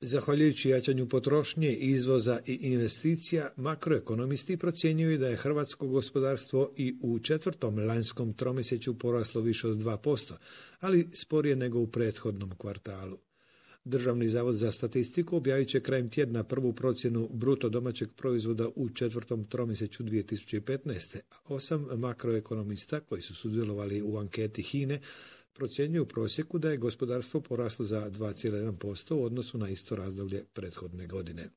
Zahvaljujući jačanju potrošnje, izvoza i investicija, makroekonomisti procjenjuju da je hrvatsko gospodarstvo i u četvrtom lanjskom tromjesečju poraslo više od 2%, ali sporije nego u prethodnom kvartalu. Državni zavod za statistiku objavit će krajem tjedna prvu procjenu bruto domaćeg proizvoda u četvrtom tromjesečju 2015. A 8 makroekonomista koji su sudjelovali u anketi HINA-e procjenjuju u prosjeku da je gospodarstvo poraslo za 2,1% u odnosu na isto razdoblje prethodne godine.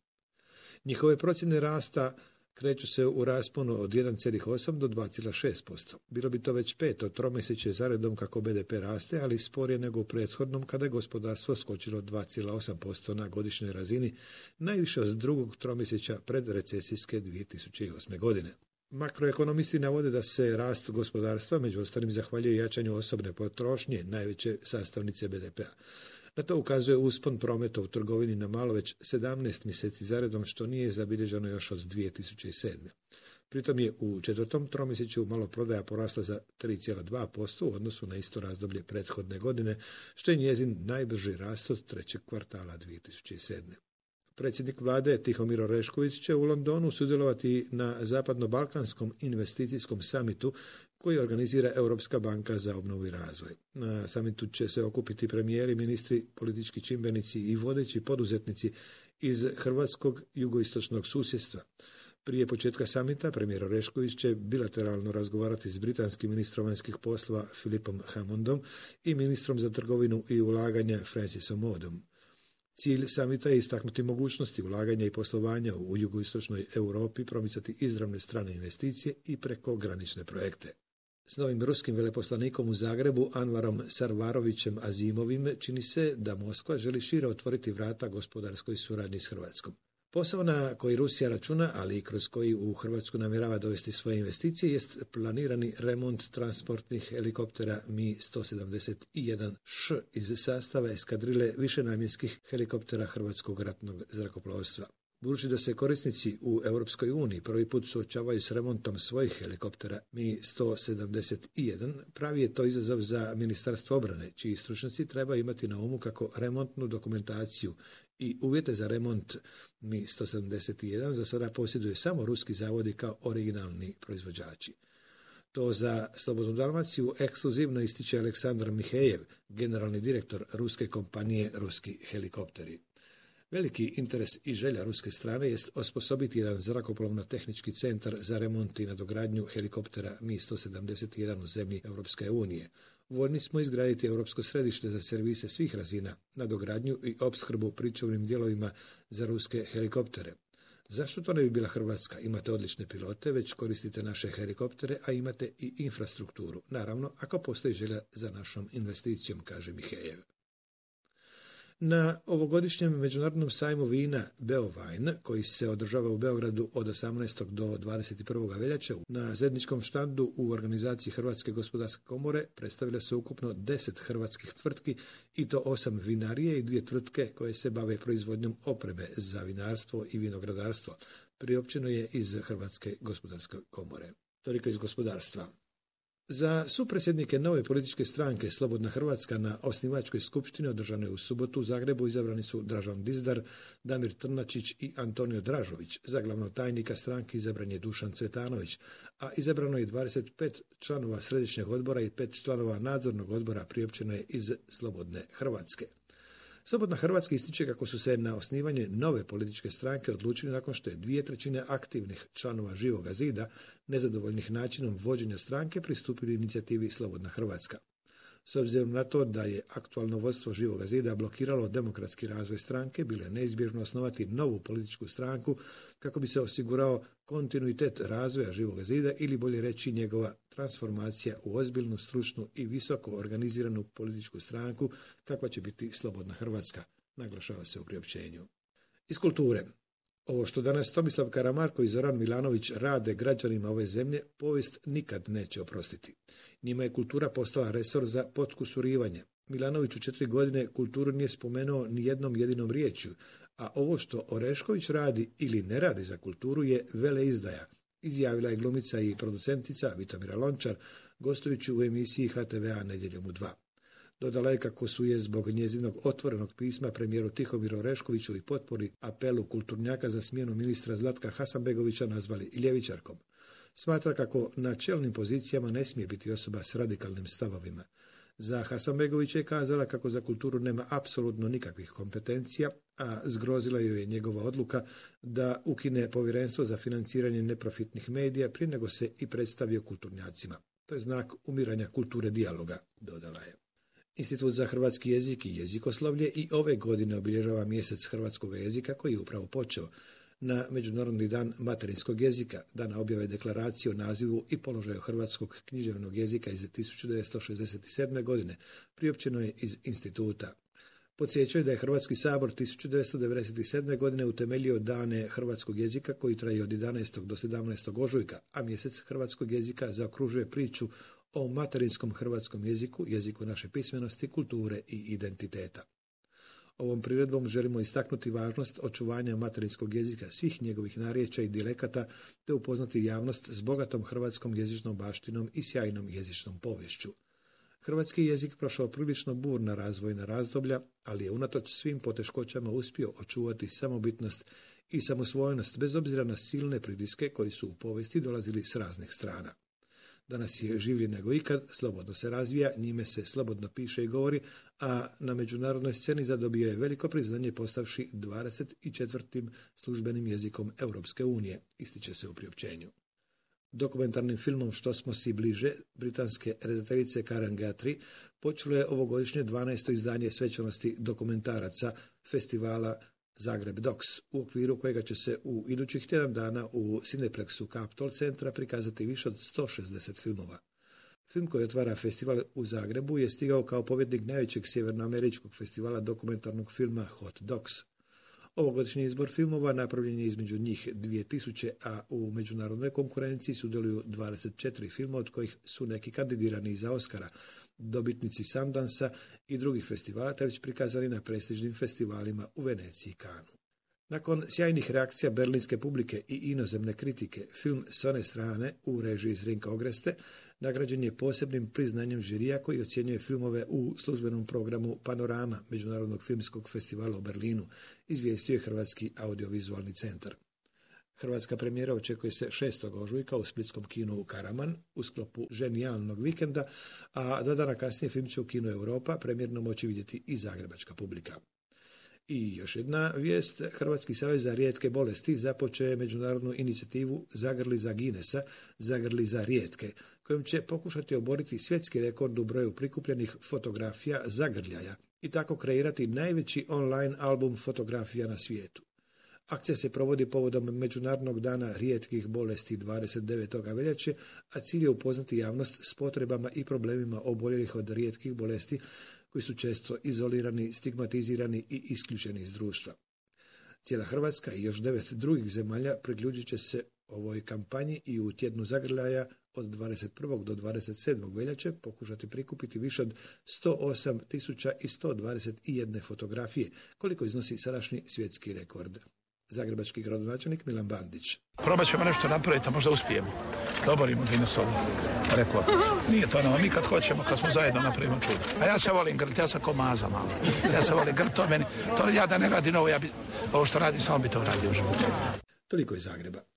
Njihove procjene rasta kreću se u rasponu od 1,8 do 2,6%. Bilo bi to već peto tromjesečje zaredom kako BDP raste, ali sporije nego u prethodnom kada je gospodarstvo skočilo 2,8% na godišnjoj razini, najviše od drugog tromjesečja predrecesijske 2008. godine. Makroekonomisti navode da se rast gospodarstva među ostalim zahvaljuje jačanju osobne potrošnje, najveće sastavnice BDP-a. Na to ukazuje uspon prometa u trgovini na malo već 17 mjeseci zaredom, što nije zabilježeno još od 2007. Pritom je u četvrtom tromjesečju maloprodaja porasla za 3,2% u odnosu na isto razdoblje prethodne godine, što je njezin najbrži rast od trećeg kvartala 2007. Predsjednik vlade Tihomir Orešković će u Londonu sudjelovati na Zapadno-balkanskom investicijskom samitu koji organizira Europska banka za obnovu i razvoj. Na samitu će se okupiti premijeri, ministri, politički čimbenici i vodeći poduzetnici iz hrvatskog jugoistočnog susjedstva. Prije početka samita premijer Orešković će bilateralno razgovarati s britanskim ministrom vanjskih poslova Philipom Hammondom i ministrom za trgovinu i ulaganja Francisom Modom. Cilj samita je istaknuti mogućnosti ulaganja i poslovanja u jugoistočnoj Europi, promicati izravne strane investicije i prekogranične projekte. S novim ruskim veleposlanikom u Zagrebu, Anvarom Sarvarovićem Azimovim, čini se da Moskva želi šire otvoriti vrata gospodarskoj suradnji s Hrvatskom. Posao na koji Rusija računa, ali i kroz koji u Hrvatsku namjerava dovesti svoje investicije, jest planirani remont transportnih helikoptera Mi-171Š iz sastava eskadrile višenamjenskih helikoptera Hrvatskog ratnog zrakoplovstva. Budući da se korisnici u Europskoj uniji prvi put suočavaju s remontom svojih helikoptera Mi-171, pravi je to izazov za Ministarstvo obrane, čiji stručnjaci treba imati na umu kako remontnu dokumentaciju i uvjete za remont Mi-171 za sada posjeduje samo ruski zavodi kao originalni proizvođači. To za Slobodnu Dalmaciju ekskluzivno ističe Aleksandar Mihejev, generalni direktor ruske kompanije Ruski helikopteri. Veliki interes i želja ruske strane jest osposobiti jedan zrakoplovno-tehnički centar za remont i nadogradnju helikoptera Mi-171 u zemlji Europske unije. Voljni smo izgraditi europsko središte za servise svih razina, nadogradnju i opskrbu pričuvnim dijelovima za ruske helikoptere. Zašto to ne bi bila Hrvatska? Imate odlične pilote, već koristite naše helikoptere, a imate i infrastrukturu. Naravno, ako postoji želja za našom investicijom, kaže Mihejev. Na ovogodišnjem međunarodnom sajmu vina Beovine, koji se održava u Beogradu od 18. do 21. veljače, na zajedničkom štandu u organizaciji Hrvatske gospodarske komore predstavile se ukupno 10 hrvatskih tvrtki i to 8 vinarije i 2 tvrtke koje se bave proizvodnjom opreme za vinarstvo i vinogradarstvo. Priopćeno je iz Hrvatske gospodarske komore. Toliko iz gospodarstva. Za supredsjednike nove političke stranke Slobodna Hrvatska na osnivačkoj skupštini održanoj u subotu u Zagrebu izabrani su Dražan Dizdar, Damir Trnačić i Antonio Dražović. Za glavnog tajnika stranke izabran je Dušan Cvetanović, a izabrano je 25 članova središnjeg odbora i 5 članova nadzornog odbora, priopćeno je iz Slobodne Hrvatske. Slobodna Hrvatska ističe kako su se na osnivanje nove političke stranke odlučili nakon što je 2/3 aktivnih članova Živoga zida, nezadovoljnih načinom vođenja stranke, pristupili inicijativi Slobodna Hrvatska. S obzirom na to da je aktualno vodstvo Živoga zida blokiralo demokratski razvoj stranke, bilo je neizbježno osnovati novu političku stranku kako bi se osigurao kontinuitet razvoja Živoga zida ili bolje reći njegova transformacija u ozbiljnu, stručnu i visoko organiziranu političku stranku kakva će biti Slobodna Hrvatska, naglašava se u priopćenju. Iz kulture. Ovo što danas Tomislav Karamarko i Zoran Milanović rade građanima ove zemlje, povijest nikad neće oprostiti. Njima je kultura postala resor za potkusurivanje. Milanović u 4 godine kulturu nije spomenuo ni jednom jedinom riječju, a ovo što Orešković radi ili ne radi za kulturu je veleizdaja, izjavila je glumica i producentica Vitomira Lončar, gostujući u emisiji HTV-a Nedjeljom u 2. Dodala je kako su je zbog njezinog otvorenog pisma premijeru Tihomiru Oreškoviću i potpori apelu kulturnjaka za smjenu ministra Zlatka Hasanbegovića nazvali ljevičarkom. Smatra kako na čelnim pozicijama ne smije biti osoba s radikalnim stavovima. Za Hasanbegovića je kazala kako za kulturu nema apsolutno nikakvih kompetencija, a zgrozila joj je njegova odluka da ukine povjerenstvo za financiranje neprofitnih medija prije nego se i predstavio kulturnjacima. To je znak umiranja kulture dijaloga, dodala je. Institut za hrvatski jezik i jezikoslovlje i ove godine obilježava mjesec hrvatskog jezika koji je upravo počeo. Na Međunarodni dan materinskog jezika, dana objave deklaracije o nazivu i položaju hrvatskog književnog jezika iz 1967. godine, priopćeno je iz instituta. Podsjećaju da je Hrvatski sabor 1997. godine utemeljio dane hrvatskog jezika koji traju od 11. do 17. ožujka, a mjesec hrvatskog jezika zaokružuje priču o materinskom hrvatskom jeziku, jeziku naše pismenosti, kulture i identiteta. Ovom priredbom želimo istaknuti važnost očuvanja materinskog jezika svih njegovih narječja i dijalekata te upoznati javnost s bogatom hrvatskom jezičnom baštinom i sjajnom jezičnom poviješću. Hrvatski jezik prošao prilično burna razvojna razdoblja, ali je unatoč svim poteškoćama uspio očuvati samobitnost i samosvojnost bez obzira na silne pritiske koji su u povijesti dolazili s raznih strana. Danas je življi nego ikad, slobodno se razvija, njime se slobodno piše i govori, a na međunarodnoj sceni zadobio je veliko priznanje postavši 24. službenim jezikom Europske unije, ističe se u priopćenju. Dokumentarnim filmom Što smo si bliže, britanske redateljice Karen Guthrie počelo je ovogodišnje 12. izdanje svečanosti dokumentaraca festivala Zagreb Docs, u okviru kojega će se u idućih tjedan dana u Cineplexu Capitol centra prikazati više od 160 filmova. Film koji otvara festival u Zagrebu je stigao kao pobjednik najvećeg sjevernoameričkog festivala dokumentarnog filma Hot Docs. Ovogodišnji izbor filmova napravljen je između njih 2000, a u međunarodnoj konkurenciji sudjeluju 24 filma, od kojih su neki kandidirani za Oscara, dobitnici Sundansa i drugih festivala, te već prikazani na prestižnim festivalima u Veneciji i Kanu. Nakon sjajnih reakcija berlinske publike i inozemne kritike, film s one strane u režiji Zrinka Ogreste nagrađen je posebnim priznanjem žirija koji ocjenjuje filmove u službenom programu Panorama Međunarodnog filmskog festivala u Berlinu, izvijestio je Hrvatski audiovizualni centar. Hrvatska premijera očekuje se 6. ožujka u splitskom kinu Karaman u sklopu Ženijalnog vikenda, a 2 dana kasnije film će u kinu Europa premijerno moći vidjeti i zagrebačka publika. I još jedna vijest, Hrvatski savez za rijetke bolesti započeo je međunarodnu inicijativu Zagrli za Guinnessa, Zagrli za rijetke, kojom će pokušati oboriti svjetski rekord u broju prikupljenih fotografija zagrljaja i tako kreirati najveći online album fotografija na svijetu. Akcija se provodi povodom Međunarodnog dana rijetkih bolesti 29. veljače, a cilj je upoznati javnost s potrebama i problemima oboljelih od rijetkih bolesti koji su često izolirani, stigmatizirani i isključeni iz društva. Cijela Hrvatska i još 9 drugih zemalja priključit će se ovoj kampanji i u tjednu zagrljaja od 21. do 27. veljače pokušati prikupiti više od 108.121 fotografije, koliko iznosi sadašnji svjetski rekord. Zagrebački gradonačelnik Milan Bandić. Probat ćemo nešto napraviti, a možda uspijemo. Doborimo Guinnessovu rekord. Nije to ono, mi kad hoćemo, kad smo zajedno napravimo čudo. A ja se volim grt, ja sam ko maza malo. Ja se volim grt, to ja da ne radim ovo, ovo što radim, samo bi to radio u životu. Toliko iz Zagreba.